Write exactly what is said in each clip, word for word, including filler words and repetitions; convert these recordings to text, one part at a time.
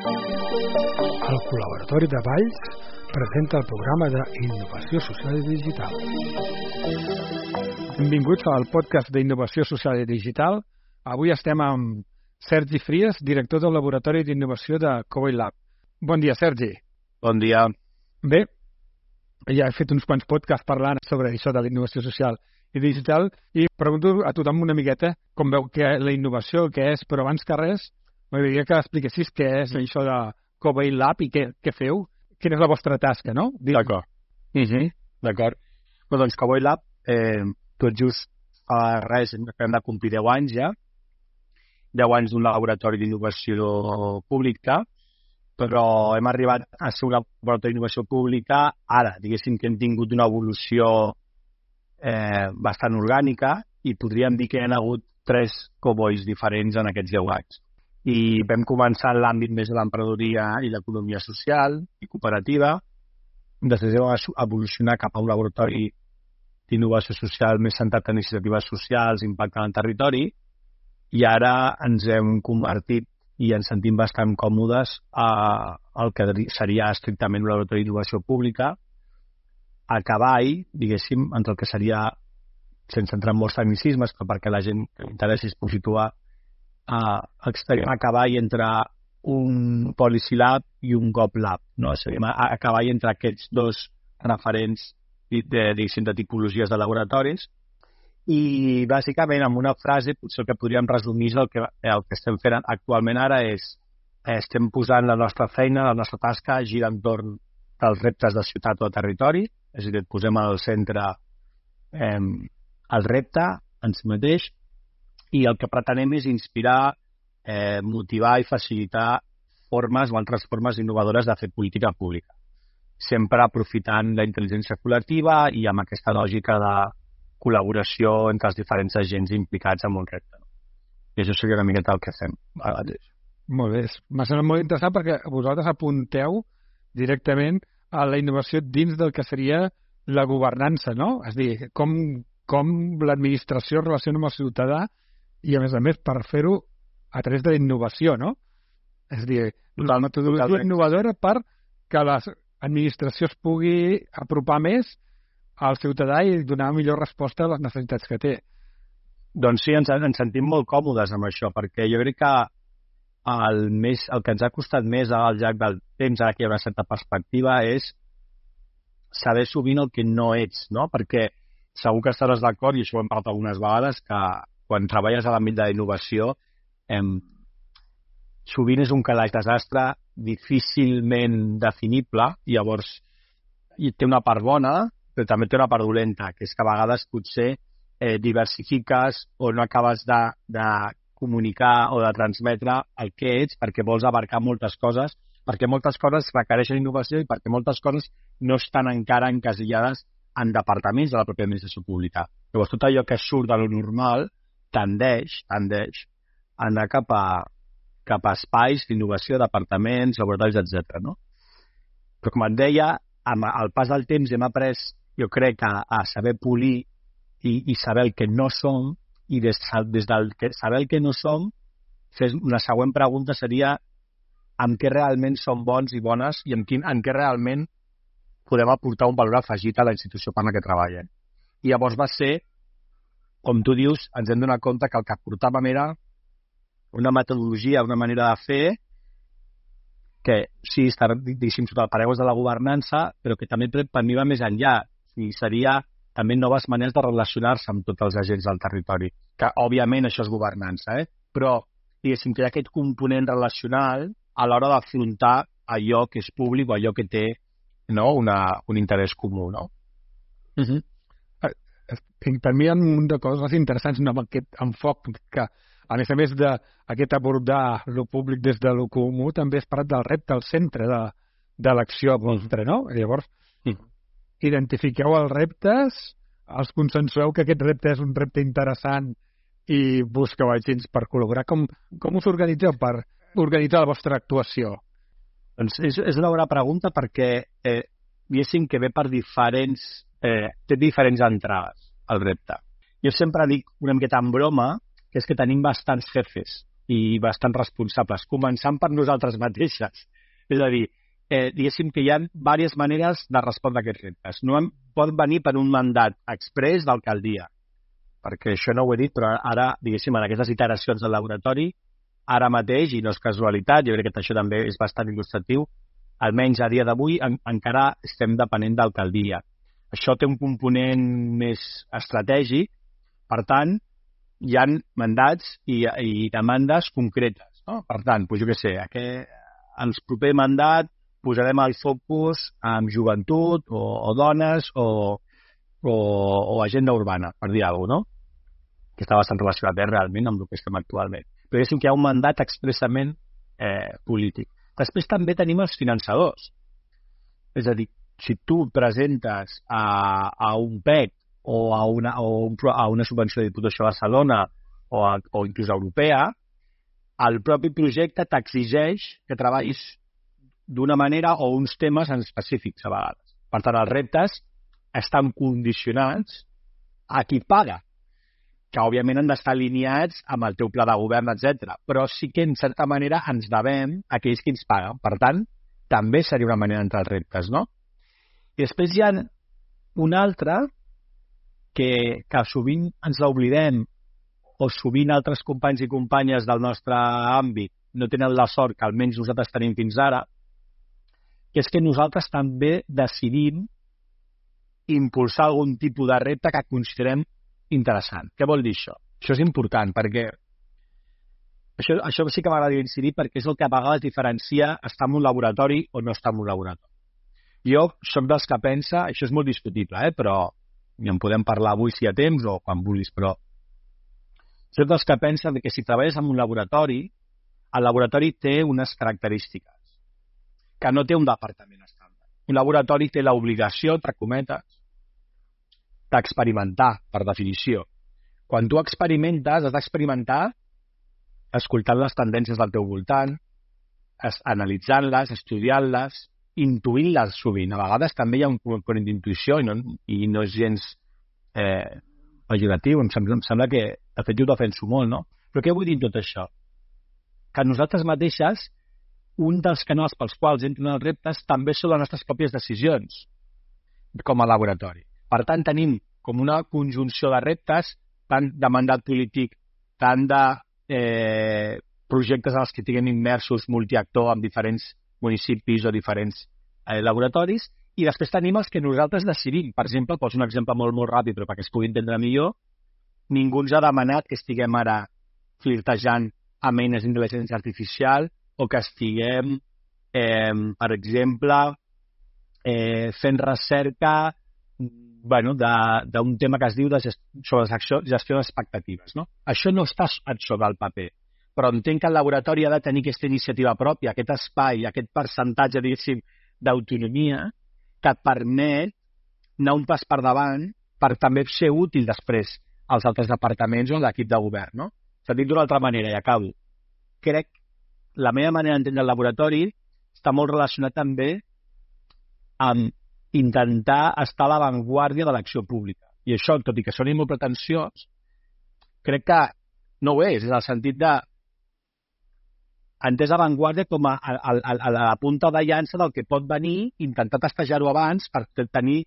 El Col·laboratori de Valls presenta el programa d'Innovació Social i Digital. Benvinguts al podcast d'Innovació Social i Digital. Avui estem amb Sergi Fries, director del Laboratori d'Innovació de Covoi Lab. Bon dia, Sergi. Bon dia. Bé, ja he fet uns quants podcasts parlant sobre això de la innovació social i digital i pregunto a tothom una miqueta com veu que la innovació, què és, però abans que res m'agradaria que expliquessis què és això de Covoi Lab i què, què feu, quina és la vostra tasca, no? D'acord. Uh -huh. D'acord. Bé, doncs Covoi Lab, eh, tot just a res, hem de complir deu anys ja, deu anys d'un laboratori d'innovació pública, però hem arribat a ser un laboratori d'innovació pública ara, diguéssim que hem tingut una evolució eh, bastant orgànica i podríem dir que hi ha hagut tres covois diferents en aquests deu anys. I vam començar en l'àmbit més de l'emprenedoria i l'economia social i cooperativa, després vam evolucionar cap a un laboratori d'innovació social més centrat en iniciatives socials, impacte en el territori, i ara ens hem convertit i ens sentim bastant còmodes a el que seria estrictament un laboratori d'innovació pública, a cavall, diguéssim, entre el que seria, sense entrar en molts tecnicismes, però perquè la gent que l'interessi es pugui situar, a, a cavall entre un Policy Lab i un Gov Lab, no? a, a cavall entre aquests dos referents de, diguéssim, de tipologies de laboratoris. I bàsicament amb una frase potser el que podríem resumir és el que, el que estem fent actualment ara és estem posant la nostra feina, la nostra tasca gira entorn dels reptes de ciutat o de territori, és a dir, et posem al centre eh, el repte en si mateix i el que pretenem és inspirar, eh, motivar i facilitar formes o altres formes innovadores de fer política pública, sempre aprofitant la intel·ligència col·lectiva i amb aquesta lògica de col·laboració entre els diferents agents implicats en un repte. I això seria una miqueta el que fem ara mateix. Molt bé. M'ha semblat molt interessant perquè vosaltres apunteu directament a la innovació dins del que seria la governança, no? És a dir, com, com l'administració es relaciona amb el ciutadà i, a més a més, per fer-ho a través de la innovació, no? És a dir, la metodologia innovadora per que l'administració es pugui apropar més al ciutadà i donar millor resposta a les necessitats que té. Doncs sí, ens, ens sentim molt còmodes amb això, perquè jo crec que el, més, el que ens ha costat més al llarg del temps, ara que hi ha una certa perspectiva, és saber sovint el que no ets, no? Perquè segur que estaràs d'acord, i això ho hem parlat algunes vegades, que quan treballes a l'àmbit de la innovació, eh, sovint és un calaix desastre difícilment definible, i llavors i té una part bona, però també té una part dolenta, que és que a vegades potser eh, diversifiques o no acabes de, de comunicar o de transmetre el que ets perquè vols abarcar moltes coses, perquè moltes coses requereixen innovació i perquè moltes coses no estan encara encasillades en departaments de la pròpia administració pública. Llavors, tot allò que surt de lo normal tendeix, tendeix a anar cap a, cap a espais d'innovació, departaments, laboratoris, etcètera. No? Però, com et deia, amb el pas del temps hem après, jo crec, a, a saber polir i, i saber el que no som, i des, des del que, saber el que no som, una següent pregunta seria en què realment som bons i bones i en, quin, en què realment podem aportar un valor afegit a la institució per la que treballem. I llavors va ser, com tu dius, ens hem donat compte que el que aportàvem era una metodologia, una manera de fer que sí, està, diguéssim, sota el paraigües de la governança, però que també per mi va més enllà. I seria també noves maneres de relacionar-se amb tots els agents del territori, que òbviament això és governança, eh? Però diguéssim que hi ha aquest component relacional a l'hora d'afrontar allò que és públic o allò que té, no, una, un interès comú, no? Uh -huh. Per mi hi ha un munt de coses interessants amb aquest enfoc que, a més a més d'aquest abordar lo públic des de lo comú, també és parat del repte al centre de, de l'acció vostra, no? Llavors, uh-huh. identifiqueu els reptes, els consensueu que aquest repte és un repte interessant i busqueu agents per col·laborar. Com, com us organitzeu per organitzar la vostra actuació? Doncs és, és una bona pregunta perquè eh, diguéssim que ve per diferents eh, té diferents entrades al repte. Jo sempre dic una miqueta en broma que és que tenim bastants jefes i bastant responsables, començant per nosaltres mateixes. És a dir, eh, diguéssim que hi ha diverses maneres de respondre a aquests reptes. No en, pot venir per un mandat exprés d'alcaldia, perquè això no ho he dit, però ara, diguéssim, en aquestes iteracions del laboratori, ara mateix, i no és casualitat, jo crec que això també és bastant il·lustratiu, almenys a dia d'avui en, encara estem depenent d'alcaldia. Això té un component més estratègic, per tant, hi ha mandats i, i demandes concretes. No? Per tant, doncs jo què sé, aquest, el proper mandat posarem el focus en joventut o, o dones o, o, o agenda urbana, per dir alguna cosa, no? Que està bastant relacionat eh, realment amb el que estem actualment. Però diguéssim que hi ha un mandat expressament eh, polític. Després també tenim els finançadors. És a dir, si tu presentes a, a un P E C o a una, o un, a una subvenció de Diputació de Barcelona o, a, o inclús europea, el propi projecte t'exigeix que treballis d'una manera o uns temes en específics a vegades. Per tant, els reptes estan condicionats a qui paga, que òbviament han d'estar alineats amb el teu pla de govern, etcètera. Però sí que, en certa manera, ens devem a aquells que ens paguen. Per tant, també seria una manera d'entrar als reptes, no? I després hi ha un altre que, que sovint ens l'oblidem o sovint altres companys i companyes del nostre àmbit no tenen la sort que almenys nosaltres tenim fins ara, que és que nosaltres també decidim impulsar algun tipus de repte que considerem interessant. Què vol dir això? Això és important perquè això, això sí que m'agrada incidir perquè és el que a vegades diferencia estar en un laboratori o no estar en un laboratori. Jo soc dels que pensa, això és molt discutible, eh? Però i en podem parlar avui si hi ha temps o quan vulguis, però soc dels que pensa que si treballes en un laboratori, el laboratori té unes característiques que no té un departament estàndard. Un laboratori té l'obligació, entre cometes, d'experimentar, per definició. Quan tu experimentes, has d'experimentar escoltant les tendències del teu voltant, analitzant-les, estudiant-les, intuint-les sovint. A vegades també hi ha un component d'intuïció i, no, i no és gens eh, pejoratiu. Em sembla, em sembla que, de fet, jo ho defenso molt, no? Però què vull dir tot això? Que nosaltres mateixes, un dels canals pels quals entren els reptes també són les nostres pròpies decisions com a laboratori. Per tant, tenim com una conjunció de reptes, tant de mandat polític, tant de eh, projectes en els que tinguem immersos multiactor amb diferents municipis o diferents eh, laboratoris, i després tenim els que nosaltres decidim. Per exemple, poso un exemple molt, molt ràpid, però perquè es pugui entendre millor, ningú ens ha demanat que estiguem ara flirtejant amb eines d'intel·ligència artificial o que estiguem, eh, per exemple, eh, fent recerca bueno, d'un tema que es diu de gest sobre gestió, gestió d'expectatives. No? Això no està sobre el paper, però entenc que el laboratori ha de tenir aquesta iniciativa pròpia, aquest espai, aquest percentatge, diguéssim, d'autonomia que et permet anar un pas per davant per també ser útil després als altres departaments o a l'equip de govern. No? S'ha dit d'una altra manera, i acabo. Crec la meva manera d'entendre el laboratori està molt relacionat també amb intentar estar a l'avantguàrdia de l'acció pública. I això, tot i que soni molt pretensiós, crec que no ho és, és el sentit de entès avantguàrdia com a, a, a, a la punta de llança del que pot venir, intentar testejar-ho abans per tenir,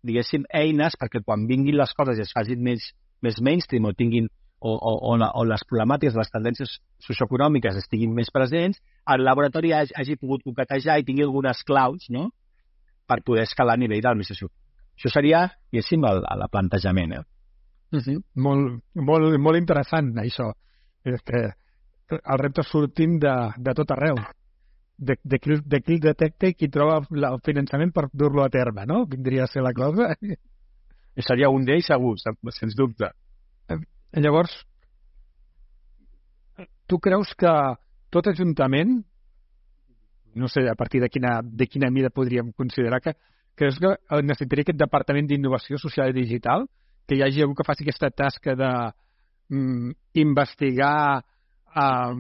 diguéssim, eines perquè quan vinguin les coses i es facin més, més mainstream o tinguin o, o, o, o les problemàtiques, les tendències socioeconòmiques estiguin més presents, el laboratori hagi, hagi pogut concatejar i tingui algunes claus, no?, per poder escalar a nivell de l'administració. Això seria, diguéssim, el, el plantejament. Eh? Sí, sí. Molt, molt, molt interessant, això. És que els reptes sortim de, de tot arreu. De, de, qui, de qui el detecta i qui troba el finançament per dur-lo a terme, no? Vindria a ser la cosa. I seria un d'ells segur, sens dubte. Llavors, tu creus que tot ajuntament, no sé a partir de quina, de quina mida podríem considerar que, creus que necessitaria aquest departament d'innovació social i digital, que hi hagi algú que faci aquesta tasca de mm, investigar, eh,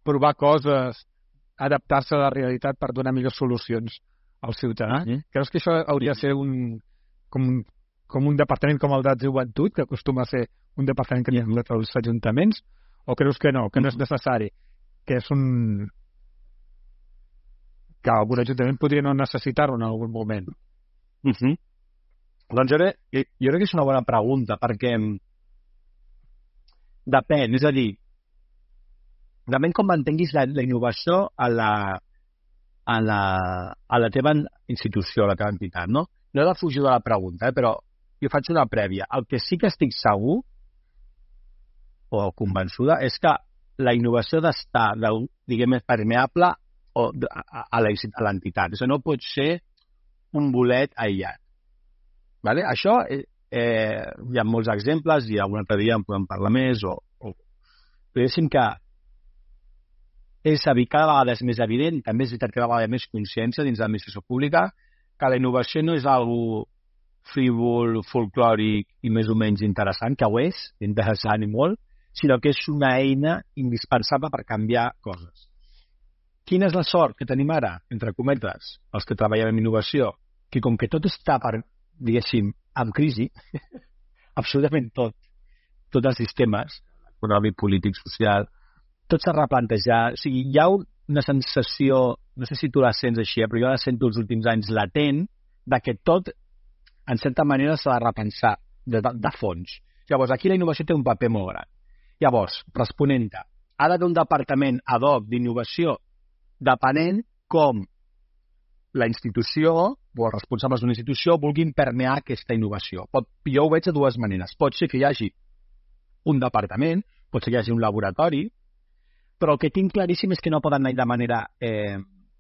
provar coses, adaptar-se a la realitat per donar millors solucions al ciutadà? Mm-hmm. Creus que això hauria de ser un, com, com un departament com el de joventut, que acostuma a ser un departament que hi ha als ajuntaments, O creus que no, que no és necessari? Que és un... que algun ajuntament podria no necessitar-ho en algun moment. Uh -huh. Doncs jo crec, jo crec que és una bona pregunta, perquè depèn, és a dir, depèn com mantenguis la, la innovació a la, a, la, a la teva institució, a la teva entitat, no? No he de fugir de la pregunta, eh, però jo faig una prèvia. El que sí que estic segur o convençuda és que la innovació d'estar, diguem, permeable o a, a l'entitat. Això no pot ser un bolet aïllat. Vale? Això, eh, eh, hi ha molts exemples i algun altre dia en podem parlar més, o, o... però diguéssim que és a dir, cada vegada és més evident, i també és veritat que cada vegada hi ha més consciència dins de l'administració pública, que la innovació no és algo frívol, folclòric i més o menys interessant, que ho és, interessant i molt, sinó que és una eina indispensable per canviar coses. Quina és la sort que tenim ara, entre cometes, els que treballem en innovació? Que com que tot està, per, diguéssim, en crisi, absolutament tot, tots els sistemes, econòmic, polític, social, tot s'ha replantejat. O sigui, hi ha una sensació, no sé si tu la sents així, però jo la sento els últims anys latent, de que tot, en certa manera, s'ha de repensar de, de, de fons. Llavors, aquí la innovació té un paper molt gran. Llavors, responent-te, ha d'haver un departament ad hoc d'innovació depenent com la institució o els responsables d'una institució vulguin permear aquesta innovació. Pot, jo ho veig de dues maneres. Pot ser que hi hagi un departament, pot ser que hi hagi un laboratori, però el que tinc claríssim és que no poden anar de manera, eh,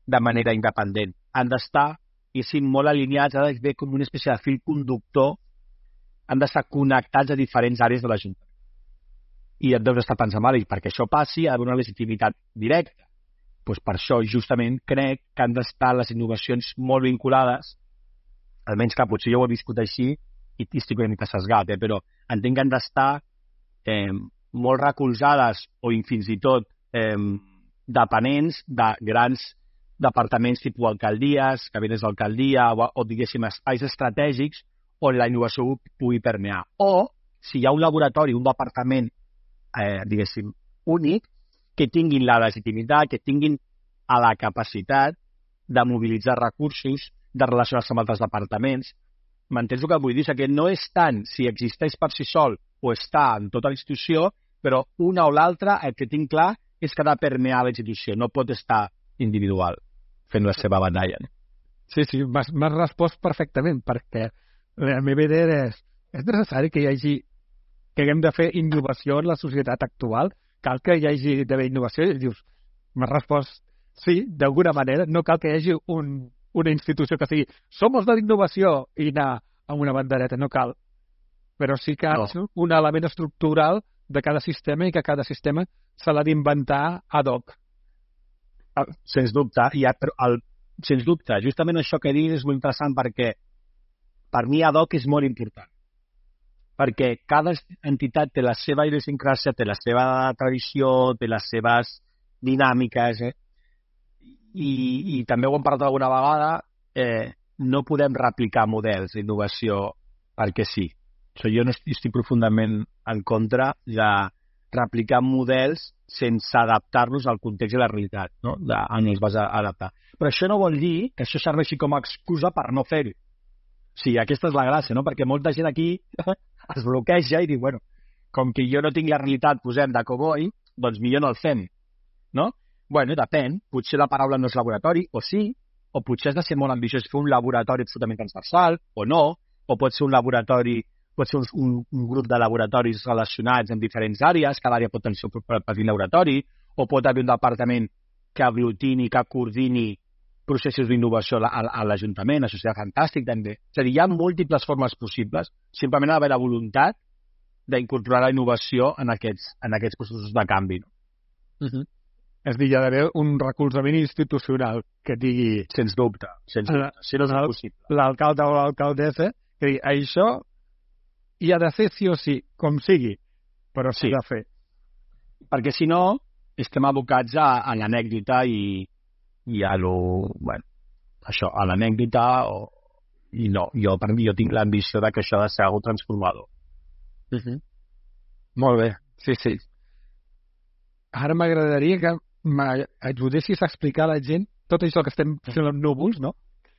de manera independent. Han d'estar, i sí, molt alineats, ha d'haver com una espècie de fil conductor, han d'estar connectats a diferents àrees de l'Ajuntament. I et deus estar pensant, i perquè això passi ha d'haver una legitimitat directa. Pues per això, justament, crec que han d'estar les innovacions molt vinculades, almenys que potser jo ho he viscut així, i estic una mica sesgat, eh? Però entenc que han d'estar eh, molt recolzades o fins i tot eh, dependents de grans departaments tipus alcaldies, cabinets d'alcaldia o, o, diguéssim, espais estratègics on la innovació pugui permear. O, si hi ha un laboratori, un departament, eh, diguéssim, únic, que tinguin la legitimitat, que tinguin a la capacitat de mobilitzar recursos, de relacionar-se amb altres departaments. M'entens el que vull dir? Que no és tant si existeix per si sol o està en tota la institució, però una o l'altra, el que tinc clar és que ha de permear la institució, no pot estar individual fent la seva batalla. Sí, sí, m'has respost perfectament, perquè la meva idea és, és necessari que hi hagi, que haguem de fer innovació en la societat actual? Cal que hi hagi d'haver innovació? I dius, m'has respost, sí, d'alguna manera, no cal que hi hagi un, una institució que sigui som els de l'innovació i anar amb una bandereta, no cal. Però sí que no. Un element estructural de cada sistema i que cada sistema se l'ha d'inventar ad hoc. Sens dubte, i el, el, sens dubte, justament això que dius és molt interessant perquè per mi ad hoc és molt important. Perquè cada entitat té la seva idiosincràsia, té la seva tradició, té les seves dinàmiques, eh? I, i també ho hem parlat alguna vegada, eh, no podem replicar models d'innovació perquè sí. O sigui, jo no estic, estic profundament en contra de replicar models sense adaptar-los al context i la realitat, no? De, on els vas a adaptar. Però això no vol dir que això serveixi com a excusa per no fer-ho. Sí, aquesta és la gràcia, no? Perquè molta gent aquí es bloqueja i diu, bueno, com que jo no tinc la realitat, posem de cowboy, doncs millor no el fem, no? Bueno, depèn. Potser la paraula no és laboratori, o sí, o potser has de ser molt ambiciós fer un laboratori absolutament transversal, o no, o pot ser un laboratori, pot ser un, un grup de laboratoris relacionats en diferents àrees, cada àrea pot tenir el seu petit laboratori, o pot haver un departament que aglutini, que coordini processos d'innovació a, a l'Ajuntament, això seria fantàstic també. És a dir, hi ha múltiples formes possibles, simplement ha d'haver la voluntat d'incorporar la innovació en aquests, en aquests processos de canvi. No? Uh-huh. És a dir, hi ha d'haver un recolzament institucional que digui... Sens dubte, sens dubte, si no és possible. L'alcalde o l'alcaldessa, que digui, això hi ha de fer sí o sí, com sigui, però s'ha sí. de fer. Perquè si no, estem abocats a, a l'anècdota i, i a lo... Bueno, això, a l'anècdota o... I no, jo, per mi, jo tinc l'ambició de que això ha de ser algo transformador. Uh-huh. Molt bé, sí, sí. ara m'agradaria que m'ajudessis a explicar a la gent tot això que estem fent amb núvols, no?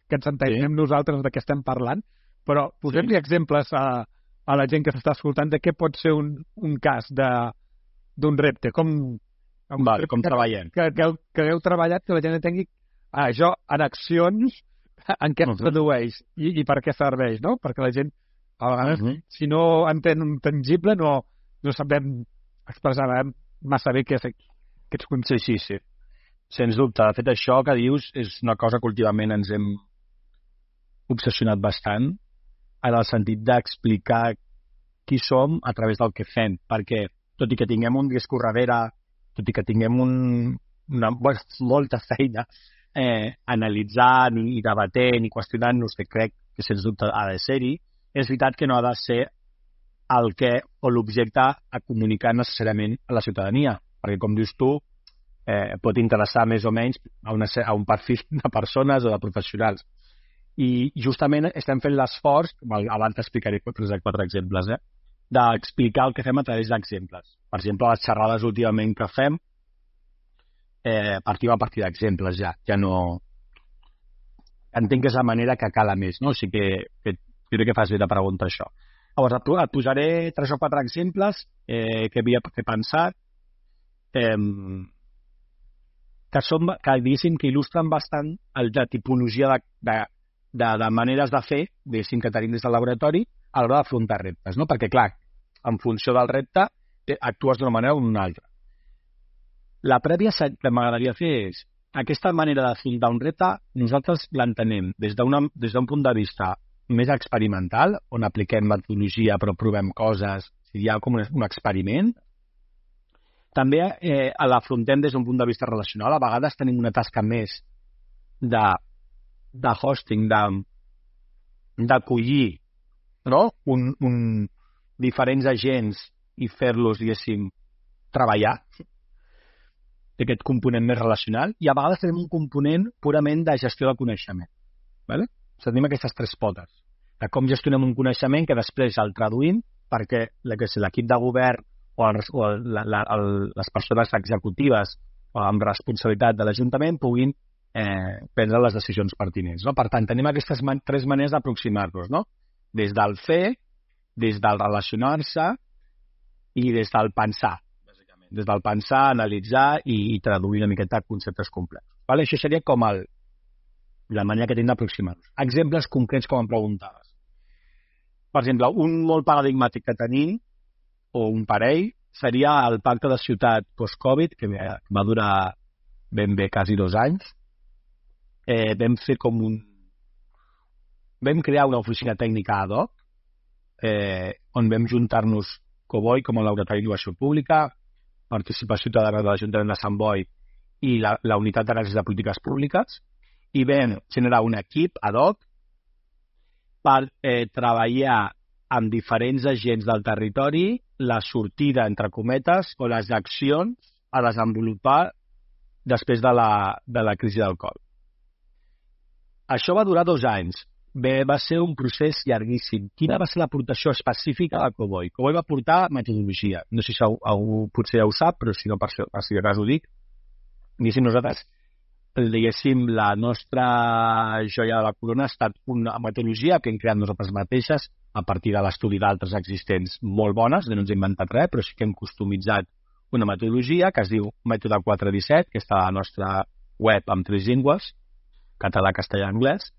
Que ens entenem sí. nosaltres de què estem parlant, però posem-li sí. exemples a, a la gent que s'està escoltant de què pot ser un, un cas d'un repte, com, Val, com que, treballem. Que, que, que hagueu treballat, que la gent entengui ah, això en accions, en què es tradueix i, i per què serveix, no? Perquè la gent, a vegades, uh -huh. si no entén un tangible, no, no sabem expressar massa bé què és, què és sí, sí, sí. Sens dubte. De fet, això que dius és una cosa que últimament ens hem obsessionat bastant en el sentit d'explicar qui som a través del que fem, perquè tot i que tinguem un discurs darrere, tot i que tinguem un, una, molta feina eh, analitzant i debatent i qüestionant-nos, que crec que sens dubte ha de ser-hi, és veritat que no ha de ser el que o l'objecte a comunicar necessàriament a la ciutadania, perquè com dius tu, eh, pot interessar més o menys a, una, a un perfil de persones o de professionals. I justament estem fent l'esforç, abans t'explicaré tres o quatre exemples, eh, d'explicar el que fem a través d'exemples. Per exemple, les xerrades últimament que fem, eh, partim a partir d'exemples ja, ja no... Entenc que és la manera que cala més, no? O sigui que, que crec que fas bé de preguntar això. Llavors, et, et posaré tres o quatre exemples eh, que havia que pensat, eh, que, són, que diguéssim que il·lustren bastant el, la tipologia de, de, de, de maneres de fer, diguéssim, que tenim des del laboratori a l'hora d'afrontar reptes, no? Perquè, clar, en funció del repte, actues d'una manera o d'una altra. La prèvia que m'agradaria fer és aquesta manera d'afrontar un repte, nosaltres l'entenem des d'un punt de vista més experimental, on apliquem metodologia però provem coses, hi ha com un, un experiment. També eh, l'afrontem des d'un punt de vista relacional. A vegades tenim una tasca més de, de hosting, d'acollir no? un, un, diferents agents i fer-los, diguéssim, treballar aquest component més relacional, i a vegades tenim un component purament de gestió del coneixement. ¿Vale? Tenim aquestes tres potes, de com gestionem un coneixement que després el traduïm perquè l'equip de govern o, el, o la, la, el, les persones executives o amb responsabilitat de l'Ajuntament puguin eh, prendre les decisions pertinents. No? Per tant, tenim aquestes man tres maneres d'aproximar-nos, no? Des del fer, des del relacionar-se i des del pensar. Des del pensar, analitzar i, i traduir una miqueta conceptes complexos. Vale? Això seria com el, la manera que tenim d'aproximar-nos. Exemples concrets com em preguntaves. Per exemple, un molt paradigmàtic que tenim, o un parell, seria el pacte de ciutat post-Covid, que va durar ben bé quasi dos anys. Eh, vam fer com un... Vam crear una oficina tècnica ad hoc, eh, on vam juntar-nos Coboi com a laboratori d'innovació pública, Participació Ciutadana de l'Ajuntament de Sant Boi i la, la Unitat d'Anàlisi de Polítiques Públiques, i vam generar un equip ad hoc per eh, treballar amb diferents agents del territori la sortida, entre cometes, o les accions a desenvolupar després de la, de la crisi del Covid. Això va durar dos anys. Bé, va ser un procés llarguíssim. Quina va ser l'aportació específica de Coboi? Coboi va portar metodologia. No sé si algú potser ja ho sap, però si no, per si de cas ho dic. Diguéssim, nosaltres, diguéssim, la nostra joia de la corona ha estat una metodologia que hem creat nosaltres mateixes a partir de l'estudi d'altres existents molt bones, no ens hem inventat res, però sí que hem customitzat una metodologia que es diu Mètode quatre disset, que està a la nostra web amb tres llengües, català, castellà i anglès.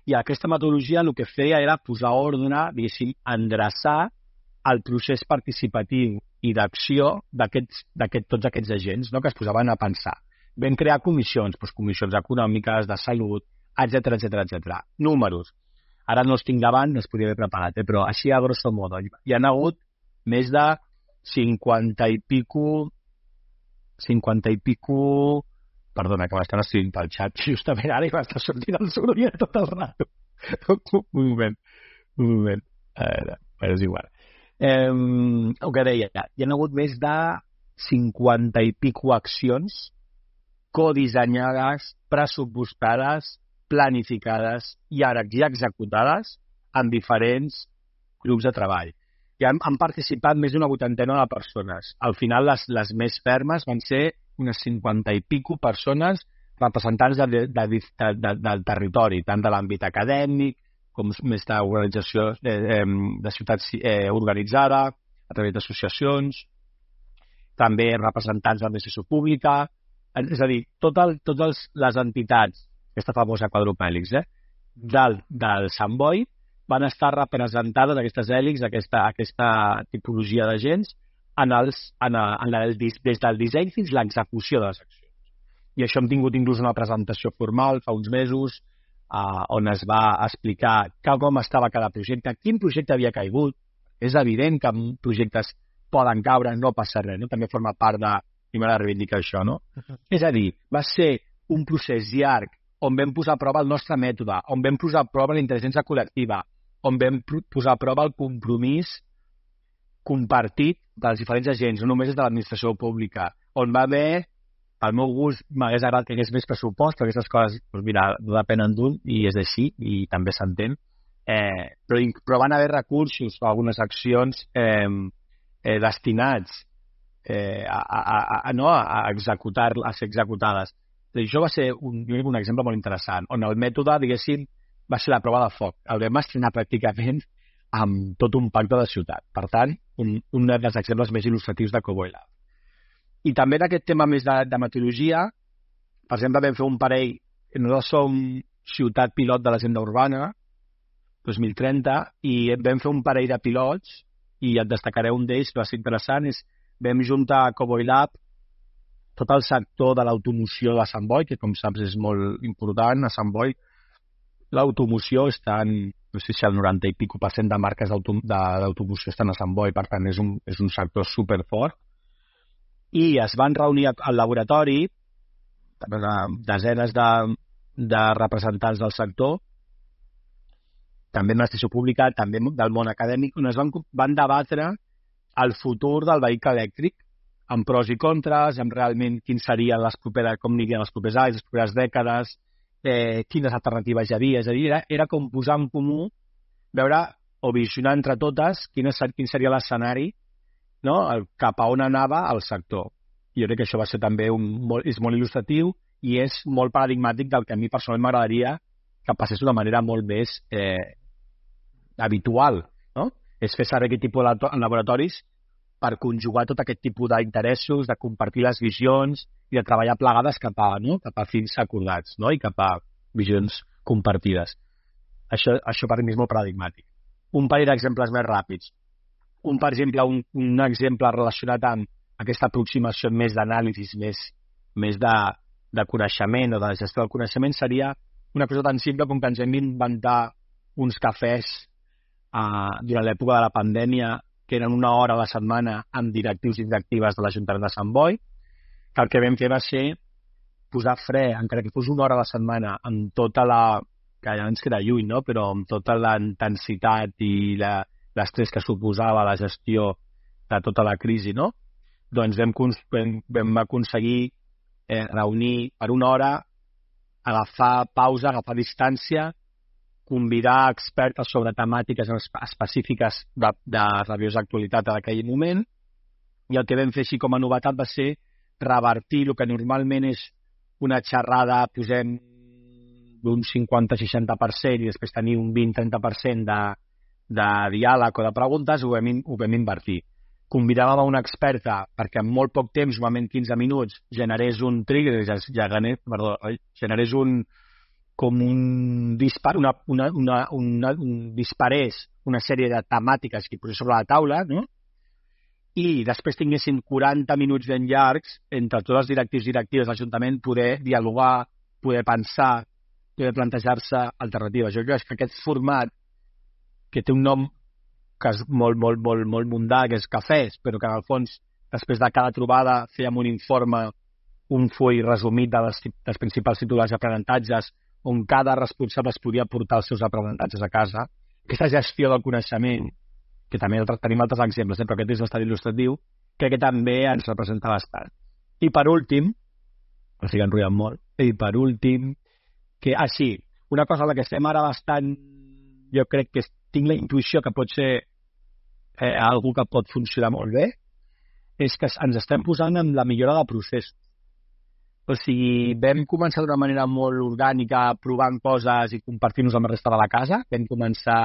I aquesta metodologia el que feia era posar ordre, diguéssim, endreçar el procés participatiu i d'acció d'aquests, d'aquest, tots aquests agents, no?, que es posaven a pensar. Vam crear comissions, doncs comissions econòmiques, de salut, etcètera, etcètera, etcètera. Números. Ara no els tinc davant, no es podria haver preparat, eh? Però així a grosso modo. Hi ha hagut més de cinquanta i pico... cinquanta i pico... Perdona, que m'estan escrivint pel xat justament ara i m'està sortint el soroll tot el rato. Un moment, un moment. A veure, és igual. Eh, el que deia, hi ha hagut més de cinquanta i pico accions codissenyades, pressupostades, planificades i ara ja executades en diferents grups de treball. i han, han participat més d'una vuitantena de persones. Al final, les, les més fermes van ser unes cinquanta i pico persones representants de, de, de, de, de, del territori, tant de l'àmbit acadèmic com més d'organització de, de ciutat eh, organitzada, a través d'associacions, també representants de l'administració pública, és a dir, totes tot les entitats, aquesta famosa quadrupèlix, eh, del, del Sant Boi, van estar representades aquestes hèlix, aquesta, aquesta tipologia d'agents, en els, en el, en el, des del disseny fins a l'execució de les accions. I això hem tingut inclús una presentació formal fa uns mesos uh, on es va explicar com estava cada projecte, quin projecte havia caigut. És evident que projectes poden caure, no passa res, no? També forma part de... I m'ha de reivindicar això, no? Uh-huh. És a dir, va ser un procés llarg on vam posar a prova el nostre mètode, on vam posar a prova la intel·ligència col·lectiva, on vam posar a prova el compromís compartit dels diferents agents, no només des de l'administració pública, on va haver, pel meu gust, m'hagués agradat que hi hagués més pressupost, perquè aquestes coses, doncs mira, no depenen d'un, i és així, i també s'entén, eh, però, però van haver recursos o algunes accions eh, eh, destinats eh, a, a, a, a, no, a executar, a ser executades. I això va ser un, un exemple molt interessant, on el mètode, diguéssim, va ser la prova de foc. El vam estrenar pràcticament amb tot un pacte de ciutat. Per tant, un, un dels exemples més il·lustratius de Cowboy Lab. I també d'aquest tema més de, de metodologia, per exemple, vam fer un parell, nosaltres som ciutat pilot de l'agenda urbana, dos mil trenta, i vam fer un parell de pilots, i et destacaré un d'ells, que va ser interessant, és vam juntar a Cowboy Lab tot el sector de l'automoció de Sant Boi, que com saps és molt important a Sant Boi. L'automoció està en, no sé si el noranta i pico per cent de marques d'automoció estan a Sant Boi, per tant és un, és un sector superfort. I es van reunir al laboratori desenes de, de representants del sector, també de l'administració pública, també del món acadèmic, on es van, van debatre el futur del vehicle elèctric, amb pros i contres, amb realment quins serien les properes, com anirien els propers anys, les properes dècades, eh, quines alternatives hi havia. És a dir, era, era com posar en comú, veure o visionar entre totes quin, és, quin seria l'escenari, no? El, cap a on anava el sector. I jo crec que això va ser també un, molt, és molt il·lustratiu i és molt paradigmàtic del que a mi personalment m'agradaria que passés d'una manera molt més eh, habitual, no? És fer servir aquest tipus de laboratoris per conjugar tot aquest tipus d'interessos, de compartir les visions i de treballar plegades cap a, no? cap a fins acordats, no? I cap a visions compartides. Això, això per mi és molt paradigmàtic. Un parell d'exemples més ràpids. Un, per exemple, un, un exemple relacionat amb aquesta aproximació més d'anàlisis, més, més de, de coneixement o de gestió del coneixement seria una cosa tan simple com que ens hem d'inventar uns cafès uh, durant l'època de la pandèmia que eren una hora a la setmana amb directius i directives de l'Ajuntament de Sant Boi, que el que vam fer va ser posar fre, encara que fos una hora a la setmana, amb tota la... que ja ens queda lluny, no? Però amb tota la intensitat i la, l'estrès que suposava la gestió de tota la crisi, no? Doncs vam, vam, vam aconseguir eh, reunir per una hora, agafar pausa, agafar distància, convidar expertes sobre temàtiques específiques de, de revius d'actualitat en aquell moment, i el que vam fer així com a novetat va ser revertir el que normalment és una xerrada, posem d'un cinquanta a seixanta per cent i després tenir un vint a trenta per cent de, de diàleg o de preguntes, ho vam, ho vam invertir. Convidàvem a una experta perquè en molt poc temps, normalment quinze minuts, generés un trigger, ja, ja, perdó, generés un com un dispar, una, una, una, una, un disparés una sèrie de temàtiques que hi posés sobre la taula, no? I després tinguessin quaranta minuts ben llargs entre tots els directius i directives de l'Ajuntament poder dialogar, poder pensar, poder plantejar-se alternatives. Jo crec que aquest format, que té un nom que és molt, molt, molt, molt mundà, que és cafès, però que en el fons, després de cada trobada, fèiem un informe, un full resumit de les, dels principals titulars i aprenentatges, on cada responsable es podia portar els seus aprenentatges a casa. Aquesta gestió del coneixement, que també tenim altres exemples, eh, però aquest és bastant il·lustratiu, crec que també ens representa bastant. I per últim, estic enrotllant molt, i per últim, que, ah sí, una cosa a la que estem ara bastant, jo crec que tinc la intuïció que pot ser eh, algú que pot funcionar molt bé, és que ens estem posant en la millora de processos. O sigui, vam començar d'una manera molt orgànica, provant coses i compartir-nos amb la resta de la casa. Vam començar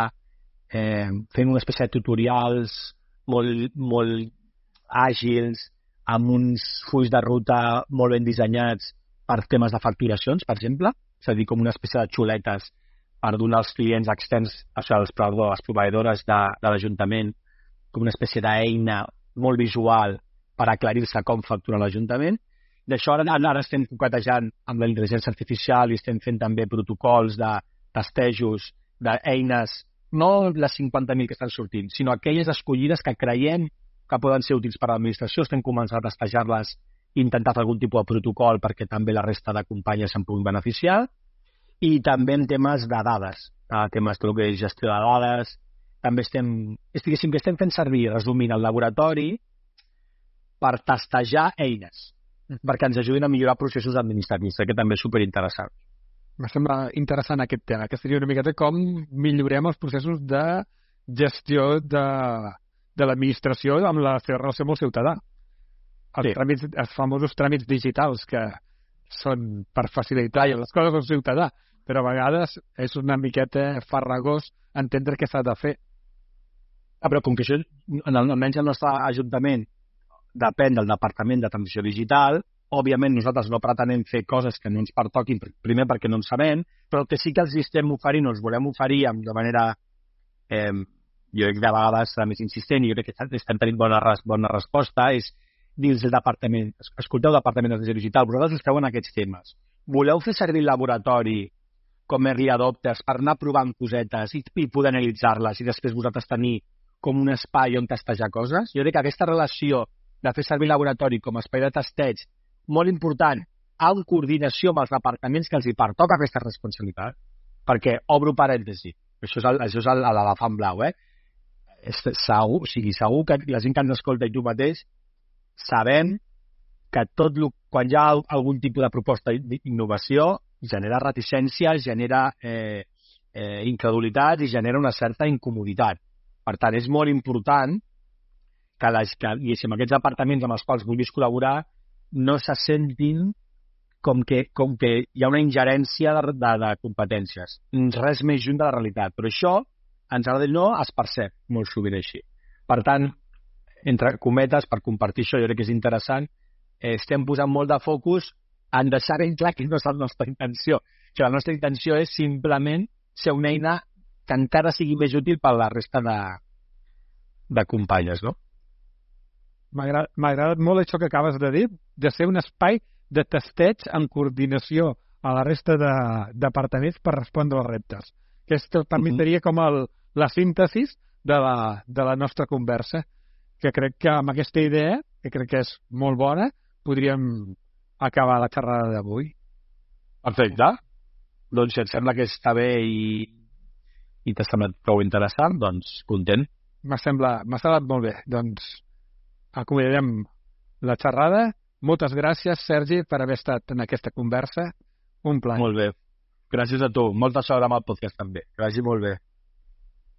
eh, fent una espècie de tutorials molt, molt àgils, amb uns fulls de ruta molt ben dissenyats per temes de facturacions, per exemple. És a dir, com una espècie de xuletes per donar als clients externs, o sigui, als, perdó, les proveïdores de, de l'Ajuntament, com una espècie d'eina molt visual per aclarir-se com factura l'Ajuntament. D'això ara, ara estem coquetejant amb la intel·ligència artificial i estem fent també protocols de testejos, d'eines, no les cinquanta mil que estan sortint, sinó aquelles escollides que creiem que poden ser útils per a l'administració. Estem començant a testejar-les i intentar fer algun tipus de protocol perquè també la resta de companyes se'n puguin beneficiar. I també en temes de dades, eh, temes de que és gestió de dades. També estem, diguéssim que estem fent servir, resumint, el laboratori per testejar eines, perquè ens ajudin a millorar processos administratius, que també és superinteressant. Em sembla interessant aquest tema, que seria una miqueta com millorem els processos de gestió de, de l'administració amb la seva relació amb el ciutadà. Els, sí. tràmits, els famosos tràmits digitals, que són per facilitar les coses al ciutadà, però a vegades és una miqueta farragós entendre què s'ha de fer. Ah, però com que això, almenys el nostre Ajuntament, depèn del Departament de Transició Digital, òbviament nosaltres no pretenem fer coses que no ens pertoquin, primer perquè no en sabem, però el que sí que els estem oferint, o els volem oferir de manera, eh, jo crec que de vegades serà més insistent, i jo crec que estem tenint bona, bona resposta, és dins del Departament, escolteu Departament de Transició Digital, vosaltres esteu en aquests temes. Voleu fer servir el laboratori com early adopters per anar provant cosetes i, i poder analitzar-les i després vosaltres tenir com un espai on testejar coses? Jo crec que aquesta relació de fer servir el laboratori com a espai de testeig, molt important, en coordinació amb els departaments que els hi pertoca aquesta responsabilitat, perquè, obro parèntesi, això és, el, això és l'elefant blau, eh? És, segur, o sigui, segur que la gent que ens escolta i tu mateix sabem que tot lo, quan hi ha algun tipus de proposta d'innovació genera reticències, genera eh, eh, incredulitat i genera una certa incomoditat. Per tant, és molt important que, les, que diguéssim, aquests departaments amb els quals vulguis col·laborar no se sentin com que, com que hi ha una ingerència de, de, de competències. Res més junt de la realitat. Però això, ens agrada o no, es percep molt sovint així. Per tant, entre cometes, per compartir això, jo crec que és interessant, eh, estem posant molt de focus en deixar ben clar que no és la nostra intenció. Que la nostra intenció és simplement ser una eina que encara sigui més útil per a la resta de, de companyes, no? M'ha agradat molt això que acabes de dir, de ser un espai de testeig en coordinació a la resta de departaments per respondre als reptes. Aquesta per mi seria com el, la síntesis de la, de la nostra conversa, que crec que amb aquesta idea, que crec que és molt bona, podríem acabar la xerrada d'avui. Perfecte. Doncs si et sembla que està bé i, i t'ha semblat prou interessant, doncs content. M'ha semblat, m'ha semblat molt bé. Doncs acomiadarem la xerrada. Moltes gràcies, Sergi, per haver estat en aquesta conversa. Un plaer. Molt bé. Gràcies a tu. Molta sort amb el podcast també. Que vagi molt bé.